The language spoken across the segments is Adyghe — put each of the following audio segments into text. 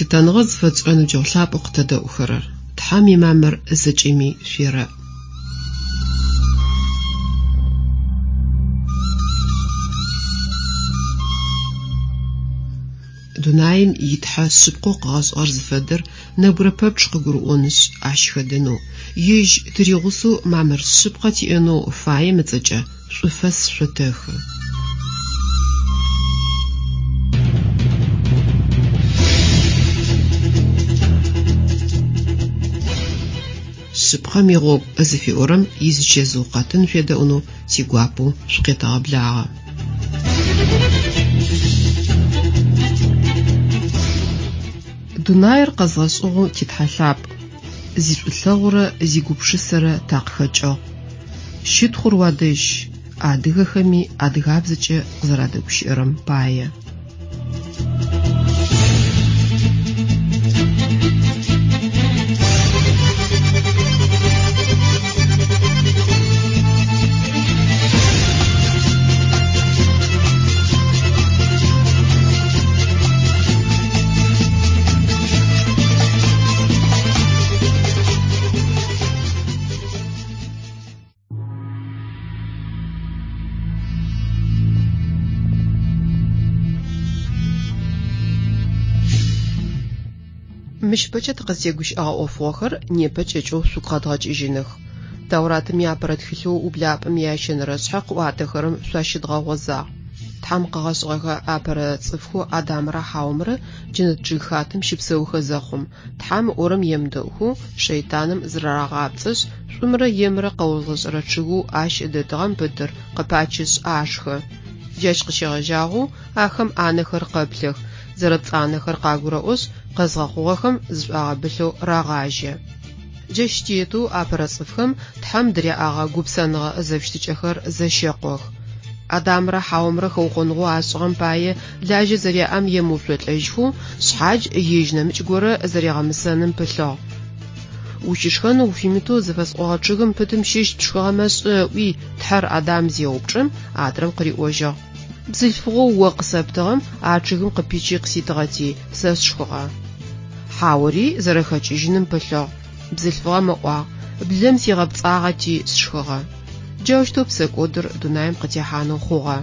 Лъытэныгъэ зыфэтшӏырэ ныбджэгъу лъапӏэу къытэдэӏухэрэр! Тхьэм имамыр зэкӏэми шъуерэӏ. Дунаим и Тхьэ шъыпкъэу къыгъэшӏыгъэр зыфэдэр нэбгырэ пэпчъ къыгурыӏонышъ, ащ хэдэнэу, ежь тыригъусэу мамыр шъыпкъэ тиӏэнэу фаем ыцӏэкӏэ шӏуфэс шъотэхы. Шъыпкъэм игъогу зыфиӏорэм изычэзыу къэтын шъуедэӏунэу тигуапэу шъукъетэгъэблагъэ. Дунаир къэзгъэшӏыгъэу ти Тхьэ лъапӏ, зишӏулъэгъурэ зигупшысэрэ такъыхэкӏыгъ. Щытхъур уадэжь, адыгэхэми адыгабзэкӏэ къызэрадэгущыӏэрэм пае. Мыщ ыпэкӏэ тыкъызтегущыӏэгъэ ӏофыгъохэр непэ кӏэкӏэу шъугу къэдгъэкӏыжьыных. Тауратым иапэрэ тхылъэу Ублапӏэм иящэнэрэ шъхьэ къыӏуатэхэрэм шъуащыдгъэгъозагъ. Тхьэм къыгъэшӏыгъэхэ апэрэ цӏыфхэу Адамрэ Хьаомрэ джэнэт чъыгхатэм щыпсэухэ зэхъум, Тхьэм ыӏорэм емыдэӏухэу шэйтаным зырарагъапцӏэшъ, шӏумрэ емрэ къэозгъэшӏэрэ чъыгэу ащ дэтыгъэм пытыр къыпачышъ ашхы. Джащ къыщегъэжьагъэу ахэм анэхэр къэплъэх, зэрэпцӏанэхэр къагурэӏошъ, къэзгъэхъугъэхэм зышӏуагъэбылъэу рагъажьэ. Джащ тетэу апэрэ цӏыфхэм Тхьэм дыряӏэгъэ гупсэныгъэ зэфыщытыкӏэхэр зэщэкъох. Адамрэ Хьаомрэ хэукъоныгъэу ашӏыгъэм пае лажьэ зэряӏэм емыуцолӏэжьхэу, шъхьадж ежь нэмыкӏ горэ зэригъэмысэным пылъыгъ. Ущышхэнэу уфимытэу зыфэсӏогъэ чъыгым пытым щыщ пшхыгъэмэ шӏэ ыӏуи, Тхьэр Адам зеупчӏым, адрэм къыриӏожьыгъ. Бзылъфыгъэу о къысэптыгъэм а чъыгым къыпичи къыситыгъэти, сэ сшхыгъэ. Хьаори зэрэхэкӏыжьыным пылъыгъ. Бзылъфыгъэм ыӏуагъ, Блэм сигъэпцӏагъэти, сшхыгъэ. Джаущтэу псэкӏодыр дунаим къытехьанэу хъугъэ.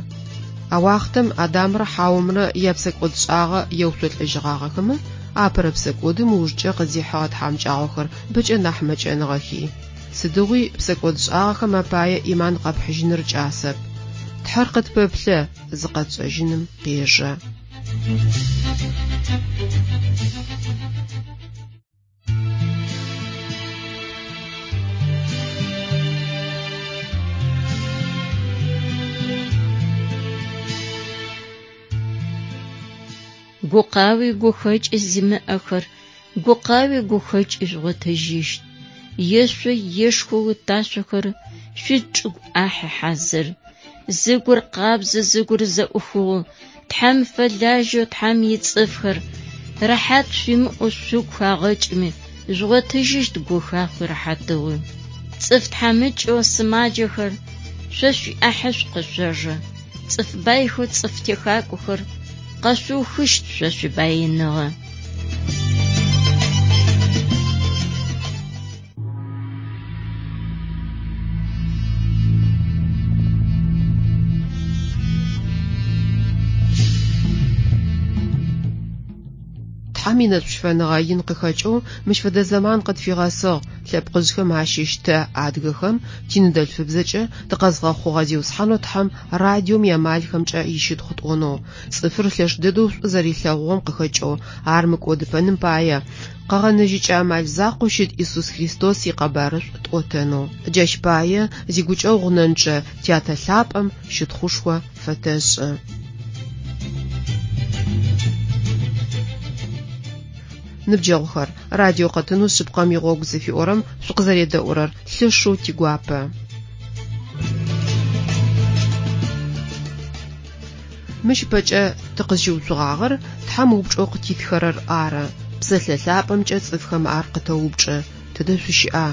А уахътэм Адамрэ Хьаомрэ япсэкӏодшӏагъэ еуцолӏэжьыгъагъэхэмэ, апэрэ псэкӏодым ыужкӏэ къыздихьыгъэ тхьамыкӏагъохэр бэкӏэ нахь мэкӏэныгъэхи. Сыдигъуи псэкӏодшӏагъэхэм апае ӏиман къэпхьыжьыныр кӏасэп. Тхьэр къытпэплъэ, зыкъэтшӏэжьыным къежэ. Гукъауи гухэкӏи зимыӏэхэр гукъауи гухэкӏи жъугъотыжьыщт. Ешъо ешхоу ташъохэр шъуичӏыгу ӏахьы хьазыр. Зыгур къабзэ, зыгур зэӏухыгъэу, Тхьэм фэлажьэу Тхьэм ицӏыфхэр, рэхьат шъуимыӏэу шъугу хагъэкӏыми, жъугъотыжьыщт гухахъуи рэхьатыгъуи. Цӏыф тхьамыкӏэу сымаджэхэр шъо шъуиӏахьышӏу къышъожэ. Цӏыф байхэу цӏыф техакӏохэр къэшъуухыщт шъо шъуибаиныгъэ. Тхьэм инэшӏущыфэныгъэ ин къыхэкӏэу мыщ фэдэ зэман къытфигъэсыгъ, лъэпкъыжъхэм ащыщ тэ, адыгэхэм, тиныдэлъфыбзэкӏэ тыкъэзгъэхъугъэ Зиусхьанэу Тхьэм радиом иамалхэмкӏэ ищытхъу тӏонэу, цӏыфыр лъэш дэдэу шӏу зэрилъэгъугъэм къыхэкӏэу ар мыкӏодыпэным пае, къэгъэнэжьыкӏэ амал закъоу щыт Исус Христос икъэбарышӏу тӏотэнэу. Джащ пае зигукӏэгъу гъунэнчъэ Тятэ лъапӏэм щытхъушхо фэтэшӏы. Ныбджэгъухэр, радио къэтынэу Шъыпкъэм игъогу зыфиӏорэм шъукъызэредэӏурэр лъэшэу тигуапэ. Мыщ ыпэкӏэ тыкъызщыуцугъагъэр Тхьэм упчӏэу къытитхэрэр ары. Псэлъэ лъапӏэмкӏэ цӏыфхэм ар къытэупчӏы, Тыдэ шъущыӏа?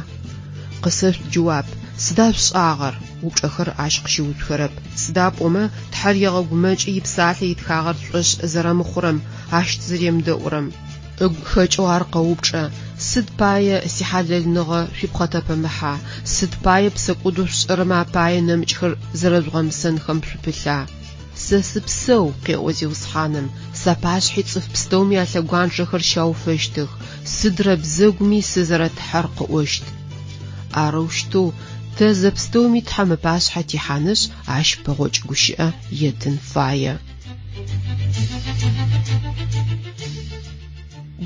Къысэшъут джэуап, Сыда шъушӏагъэр? Упчӏэхэр ащ къыщыуцухэрэп. Сыда пӏомэ Тхьэр егъэгумэкӏы ипсалъэ итхагъэр тшӏошъ зэрэмыхъурэм, ащ тызэремыдэӏурэм. Ыгу хэкӏэу ар къэупчӏэ, Сыд пае сихьалэлныгъэ шъуипхъэтэпэмыхьа, сыд пае псэкӏодэу шъушӏэрэмэ апае нэмыкӏхэр зэрэжъугъэмысэнхэм шъупылъа? Сэ сыпсэу, къеӏо Зиусхьаным, сапашъхьи цӏыф пстэуми алъэгуанджэхэр щауфэщтых, сыдрэ бзэгуми сызэрэ Тхьэр къыӏощт. Арэущтэу тэ зэпстэуми Тхьэм ыпашъхьэ тихьанышъ, ащ пэгъокӏ гущыӏэ еттын фае.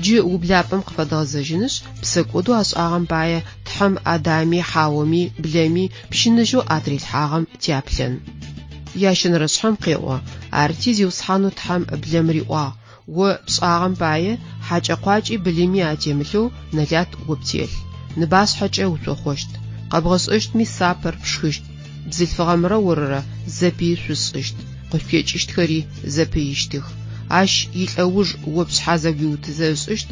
Джы ублапӏэм къыфэдгъэзэжьынышъ, псэкӏодэу ашӏагъэм пае Тхьэм Адами, Хьаоми, блэми пщыныжьэу атырилъхьагъэм тяплъын. Ящэнэрэ шъхьэм къеӏо, Арти Зиусхьанэу Тхьэм блэм риӏуагъ, О пшӏагъэм пае хьакӏэ-къуакӏи былыми атемылъэу нэлат о птелъ. Ныбашъхьэкӏэ уцохъощт. Къэбгъэшӏэщтми сапэр пшхыщт. Бзылъфыгъэмрэ орырэ зэпыи шъусшӏыщт, къышъутекӏыщтхэри зэпыищтых. Ащ илӏэуж о пшъхьэ зэгуиутызэ ышӏыщт,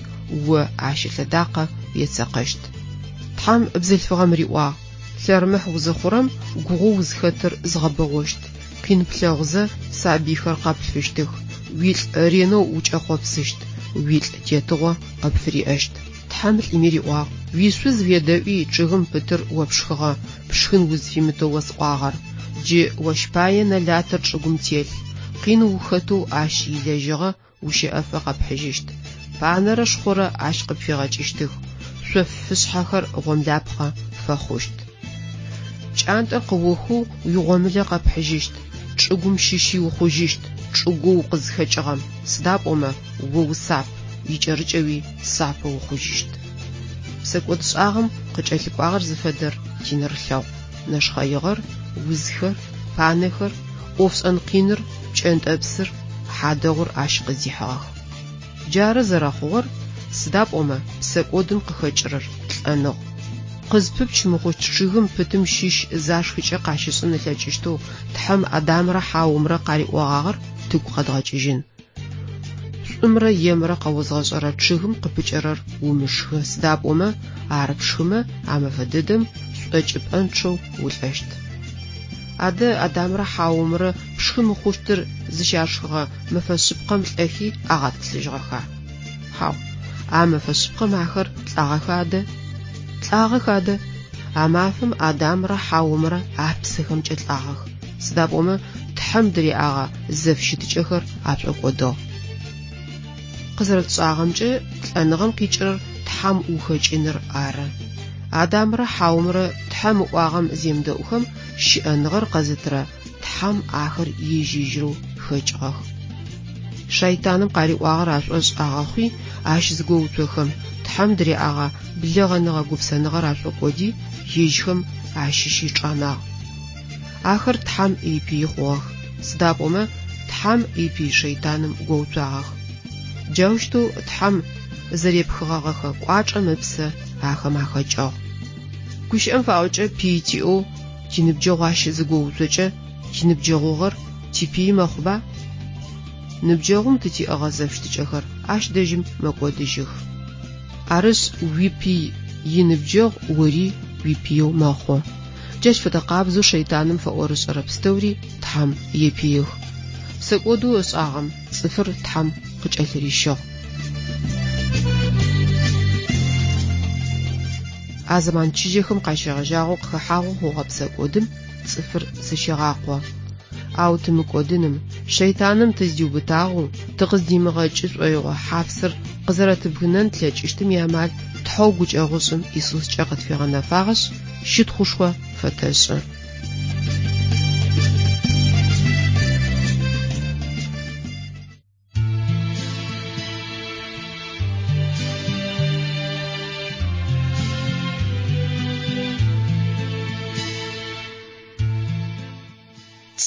о ащ ылъэдакъэ уецэкъэщт. Тхьэм бзылъфыгъэм риӏуагъ, Лъэрымыхь узыхъурэм гугъоу узхэтыр згъэбэгъощт, къин плъэгъузэ сабыйхэр къэплъфыщтых, уилӏ ренэу укӏэхъопсыщт, уилӏ тетыгъо къыпфыриӏэщт. Тхьэм лӏыми риӏуагъ, Уишъуз уедэӏуи чъыгым пытыр о пшхыгъэ, пшхын узфимытэу осӏуагъэр. Джы ощ пае нэлатыр чӏыгум телъ, къин ухэтэу ащ илэжьыгъэ ущэӏэфэ къэпхьыжьыщт. Панэрэ шхъорэ ащ къыпфигъэкӏыщтых, шъоф фышъхьэхэр гъомлапхъэ пфэхъущт. Пкӏантӏэр къыохэу уигъомылэ къэпхьыжьыщт, чӏыгум щыщи ухъужьыщт, чӏыгоу укъызхэкӏыгъэм, сыда пӏомэ о усап, икӏэрыкӏэуи сапэ ухъужьыщт. Псэкӏодшӏагъэм къыкӏэлъыкӏуагъэр зыфэдэр тинэрылъэгъу, нэшхъэигъэр, узхэр, панэхэр, ӏофшӏэн къиныр, пкӏэнтӏэпсыр, хьадэгъур ащ къыздихьыгъэх. Джары зэрэхъугъэр, сыда пӏомэ псэкӏодым къыхэкӏырэр лӏэныгъ. Къызпыпч мыхъущт чъыгым пытым щыщ зашхыкӏэ къащышӏын ылъэкӏыщтэу Тхьэм Адамрэ Хьаомрэ къариӏогъагъэр тыгу къэдгъэкӏыжьын. Шӏумрэ емрэ къэозгъэшӏэрэ чъыгым къыпыкӏэрэр умышхы, сыда пӏомэ ар пшхымэ, а мэфэ дэдэм шӏокӏыпӏэнчъэу улӏэщт. Адэ Адамрэ Хьаомрэ пшхы мыхъущтыр зыщашхыгъэ мэфэ шъыпкъэм лӏэхи агъэтӏылъыжьыгъэха? Хьау. А мэфэ шъыпкъэм ахэр лӏагъэха адэ? Лӏагъэх адэ! А мафэм Адамрэ Хьаомрэ апсэхэмкӏэ лӏагъэх, сыда пӏомэ Тхьэм дыряӏэгъэ зэфыщытыкӏэхэр ашӏокӏодыгъ. Къызэрэтшӏагъэмкӏэ, лӏэныгъэм къикӏырэр Тхьэм ухэкӏыныр ары. Адамрэ Хьаомрэ Тхьэм ыӏуагъэм земыдэӏухэм, щыӏэныгъэр къэзытырэ Тхьэм ахэр ежь-ежьырэу хэкӏыгъэх. Шайтаным къариӏуагъэр ашӏошъ агъэхъуи, ащ зыгоуцохэм, Тхьэм дыряӏэгъэ блэгъэныгъэ-гупсэныгъэр ашӏокӏоди, ежьхэм ащыщи чӏанагъ. Ахэр Тхьэм ипыи хъугъэх, сыда пӏомэ Тхьэм ипый шэйтаным гоуцуагъэх. Джаущтэу Тхьэм зэрепхыгъэгъэхэ кӏуачӏэм ыпсэ ахэм ахэкӏыгъ. Гущыӏэм фаӏокӏэ пыи тиӏэу тиныбджэгъу ащ зыгоуцокӏэ, тиныбджэгъугъэр типыи мэхъуба? Ныбджэгъум тытиӏэгъэ зэфыщытыкӏэхэр ащ дэжьым мэкӏодыжьых. Арышъ, уипый иныбджэгъу ори уипыеу мэхъу. Джащ фэдэ къабзэу шэйтаным фэӏорышӏэрэ пстэури Тхьэм епыих. Псэкӏодэу ышӏагъэм цӏыфыр Тхьэм къыкӏэлъырищыгъ. А зэман чыжьэхэм къащегъэжьагъэу къыхэхьагъэу хъугъэ псэкӏодым цӏыфыр зэщегъакъо. Ау тымыкӏодыным, шэйтаным тыздиубытагъэу, тыкъыздимыгъэкӏы шӏоигъо хьапсыр къызэрэтыбгынэн тлъэкӏыщтым иамал Тхьэу гукӏэгъушӏым Исускӏэ къытфигъэнэфагъэшъ, щытхъушхо фэтэшӏы.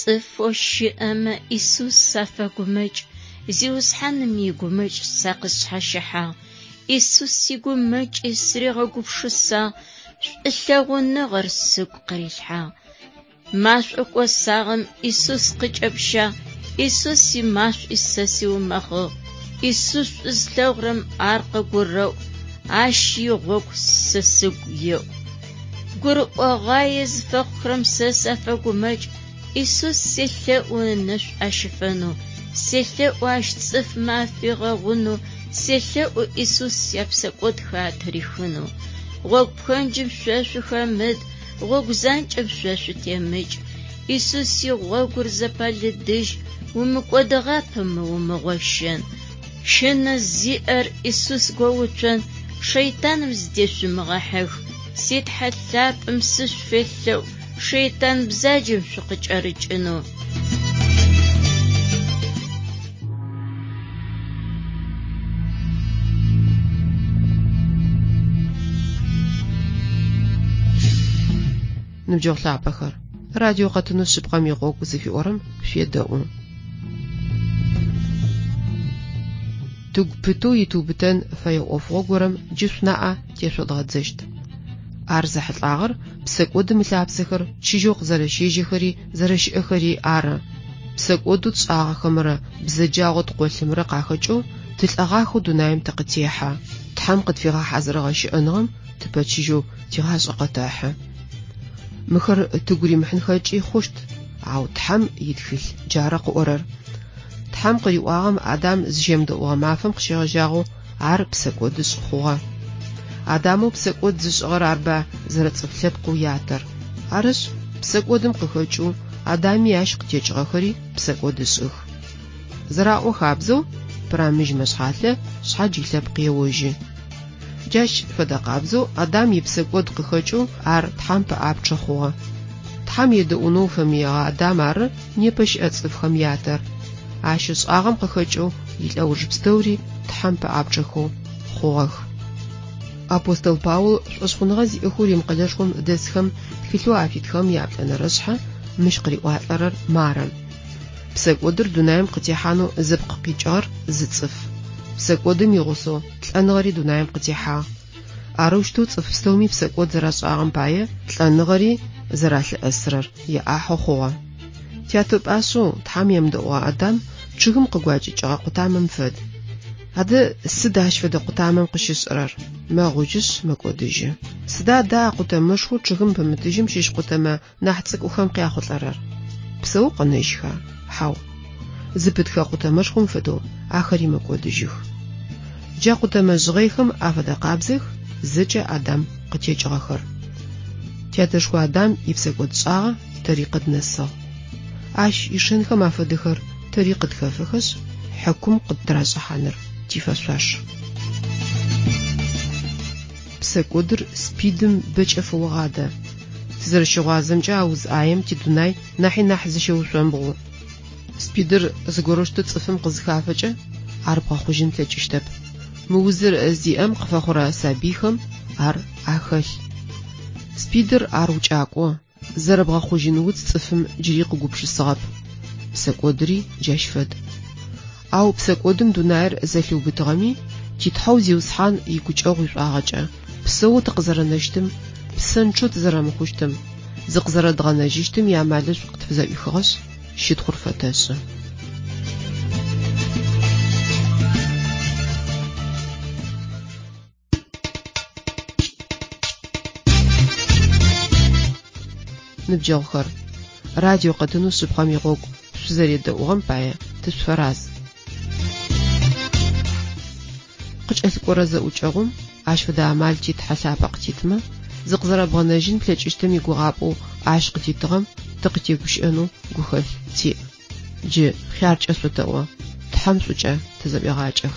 Цӏыфэу щыӏэмэ Исус сафэгумэкӏ, Зиусхьаным игумэкӏ сэ къысшъхьащыхьагъ. Исус игумэкӏи сыригъэгупшысагъ, шӏулъэгъуныгъэр сыгу къырилъхьагъ. Машӏо кӏосагъэм Исус къыкӏэпщагъ, Исус имашӏуи сэ сиумэхъыгъ. Исус шӏу зылъэгъурэм ар къыгурэӏу, ащ игъогу сэ сыгу еӏу. Гурыӏогъуае зыфэхъухэрэм сэ сафэгумэкӏ, Исус селъэӏу ынэшӏу ащыфэнэу. Селъэӏу Ащ цӏыфмэ афигъэгъунэу, селъэӏу Исус япсэкӏодхэр атырихынэу. Гъогу пхэнджым шъо шъухэмыт, гъогу занкӏэм шъо шъутемыкӏ. Исус игъогур зэпэлыдыжь, умыкӏодыгъапэмэ умыгъощэн. Щынэ зиӏэр Исус гоуцон, шэйтаным зыдешъумыгъэхьых. Си Тхьэ лъапӏэм сышъуфелъэӏу, шэйтан бзаджэм шъукъыкӏэрыкӏынэу. Ныбджэгъу лъапӏэхэр, радио къэтынэу Шъыпкъэм игъогу зыфиӏорэм шъуедэӏу. Тыгу пытэу итыубытэн фэе ӏофыгъо горэм джы шъунаӏэ тешъодгъэдзэщт. Ар зэхьылӏагъэр псэкӏодым ылъапсэхэр чыжьэу къызэрэщежьэхэри зэрэщыӏэхэри ары. Псэкӏодэу тшӏагъэхэмрэ бзэджагъэу ткъолъымрэ къахэкӏэу тылӏэгъахэу дунаим тыкъытехьэ. Тхьэм къытфигъэхьазырыгъэ щыӏэныгъэм тыпэчыжьэу тигъашӏэ къэтэхьы. Мыхэр тыгу римыхьынхэкӏи хъущт, ау Тхьэм итхылъ джары къыӏорэр. Тхьэм къыриӏуагъэм Адам зыщемыдэӏугъэ мафэм къыщегъэжьагъэу ар псэкӏодышӏ хъугъэ. Адамэу псэкӏод зышӏыгъэр арба зэрэцӏыф лъэпкъэу ятэр. Арышъ, псэкӏодым къыхэкӏэу Адами ащ къытекӏыгъэхэри псэкӏодышӏых. Зэраӏо хабзэу, пырамыжь мэшъхьалъэ шъхьадж илъэпкъ еожьы. Джащ фэдэ къабзэу Адам ипсэкӏод къыхэкӏэу ар Тхьэм пэӏапчъэ хъугъэ. Тхьэм едэӏунэу фэмыегъэ Адам ары непэ щыӏэ цӏыфхэм ятэр. Ащ ышӏагъэм къыхэкӏэу илӏэуж пстэури Тхьэм пэӏапчъэхэу хъугъэх. Апостол Паул шӏошъхъуныгъэ зиӏэхэу Рим къэлэшхом дэсхэм тхылъэу афитхыгъэм яплӏэнэрэ шъхьэ мыщ къыриӏуалӏэрэр мары. Псэкӏодыр дунаим къытехьанэу зыпкъ къикӏыгъэр зы цӏыф. Псэкӏодым игъусэу лӏэныгъэри дунаим къытехьагъ. Арэущтэу цӏыф пстэуми псэкӏод зэрашӏагъэм пае лӏэныгъэри зэралъыӏэсырэр яӏахьэу хъугъэ. Тятэ пӏашъэу Тхьэм емыдэӏугъэ Адам чъыгым къыгуакӏыкӏыгъэ къутамэм фэд. Адэ сыд ащ фэдэ къутамэм къыщышӏырэр? Мэгъужьышъ, мэкӏодыжьы. Сыда адэ а къутэмэшхоу чъыгым пымытыжьым щыщ къутэмэ нахь цӏыкӏухэм къяхъулӏэрэр? Псэу къэнэжьха? Хьау. Зыпытхэ къутэмэшхом фэдэу ахэри мэкӏодыжьых. Джа къутэмэ жъгъэйхэм афэдэ къабзэх зэкӏэ Адам къытекӏыгъэхэр. Тятэшхо Адам ипсэкӏодшӏагъэ тэри къыднэсыгъ. Ащ ишэнхэм афэдэхэр тэри къытхэфэхэшъ, хьыкум къыттырашӏыхьаныр тифэшъуаш. Псэкӏодыр СПИД-м бэкӏэ фэогъадэ. Тызэрэщыгъуазэмкӏэ, а уз ӏаем тидунай нахьи нахь зыщеушъомбгъу. СПИД-р зыгорэущтэу цӏыфым къызыхафэкӏэ, ар бгъэхъужьын плъэкӏыщтэп. Мы узыр зиӏэм къыфэхъурэ сабыйхэм ар ахэлъ. СПИД-р ар укӏакӏо, зэрэбгъэхъужьын уц цӏыфым джыри къыгупшысыгъэп. Псэкӏодыри джащ фэд. Ау псэкӏодым дунаир зэлъиубытыгъэми, ти Тхьэу Зиусхьан игукӏэгъу ишӏуагъэкӏэ, псэоу тыкъызэрэнэщтым, псэнчъэу тызэрэмыхъущтым, зыкъызэрэдгъэнэжьыщтым иамалышӏу къытфызэӏуихыгъэшъ, щытхъур фэтэшӏы. Ныбджэгъухэр, радио къэтынэу Шъыпкъэм игъогу шъузэредэӏугъэм пае тышъуфэраз. Къыкӏэлъыкӏорэ зэӏукӏэгъум ащ фэдэ амал ти Тхьэ лъапӏэ къытитымэ, зыкъызэрэбгъэнэжьын плъэкӏыщтым игугъапӏэу ащ къытитыгъэм тыкъытегущыӏэнэу гухэлъ тиӏ. Джы хъяркӏэ шъотэӏо, Тхьэм шӏукӏэ тызэӏуегъакӏэх.